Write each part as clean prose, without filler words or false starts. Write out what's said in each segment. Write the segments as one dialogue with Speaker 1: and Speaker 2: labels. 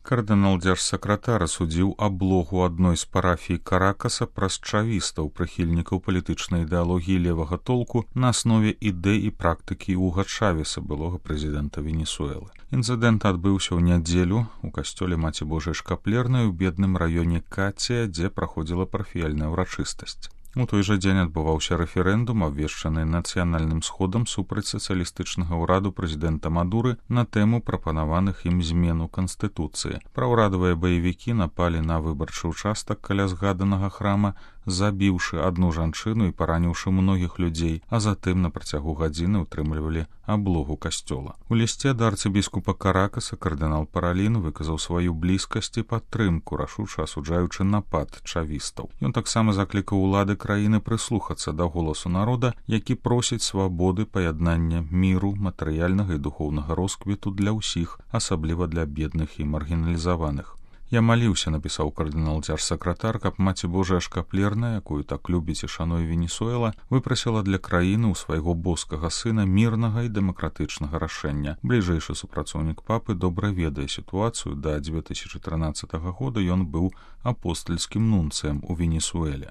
Speaker 1: Кардынал-дзяржсакратар асудзіў аблогу адной з парафій Каракаса праз чавістаў, прыхільнікаў палітычнай ідэалогіі левага толку на аснове ідэй і практыкі Уга Чавеса, былога прэзідэнта Венесуэлы. Інцыдэнт адбыўся ў нядзелю у касцёле Маці Божай Шкаплернай у бедным раёне Кація, дзе праходзіла парафіяльная ўрачыстасць. У той жа дзень адбываўся рэферэндум, абвешчаны нацыянальным сходам супраць сацыялістычнага ўраду прэзідэнта Мадуры на тэму прапанаваных ім змену канстытуцыі. Праўрадавыя баевікі напалі на выбарчы ўчастак каля згаданага храма, забіўшы адну жанчыну і параніўшы многіх людзей, а затым на працягу гадзіны ўтрымлівалі аблогу касцёла. У лісце да арцыбіскупа Каракаса кардынал Паралін выказаў сваю блізкасць і падтрымку, рашуча асуджаючы напад чавістаў. Ён таксама заклікаў улады краіны прыслухацца да голасу народа, які просіць свабоды, паяднання міру, матэрыяльнага і духоўнага росквіту для ўсіх, асабліва для бедных і маргіналізаваных. Я маліўся, напісаў кардынал-дзяржсакратар, каб Маці Божая Шкаплерная, якую так любіць і шануе Венесуэла, выпрасіла для краіны ў свайго боскага сына мірнага і дэмакратычнага рашэння. Бліжэйшы супрацоўнік папы добра ведае сітуацыю. Да 2013 года ён быў апостальскім нунцыем у Венесуэле.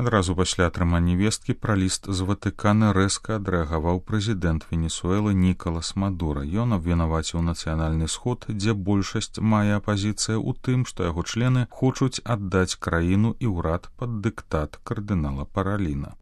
Speaker 1: Адразу пасля атрымання весткі пра ліст з Ватыкана рэзка адрэагаваў прэзідэнт Венесуэлы Нікалас Мадура. Ён абвінаваціў нацыянальны сход, дзе большасць мае апазіцыя ў тым, што яго члены хочуць аддаць краіну і ўрад пад дыктат кардынала Параліна.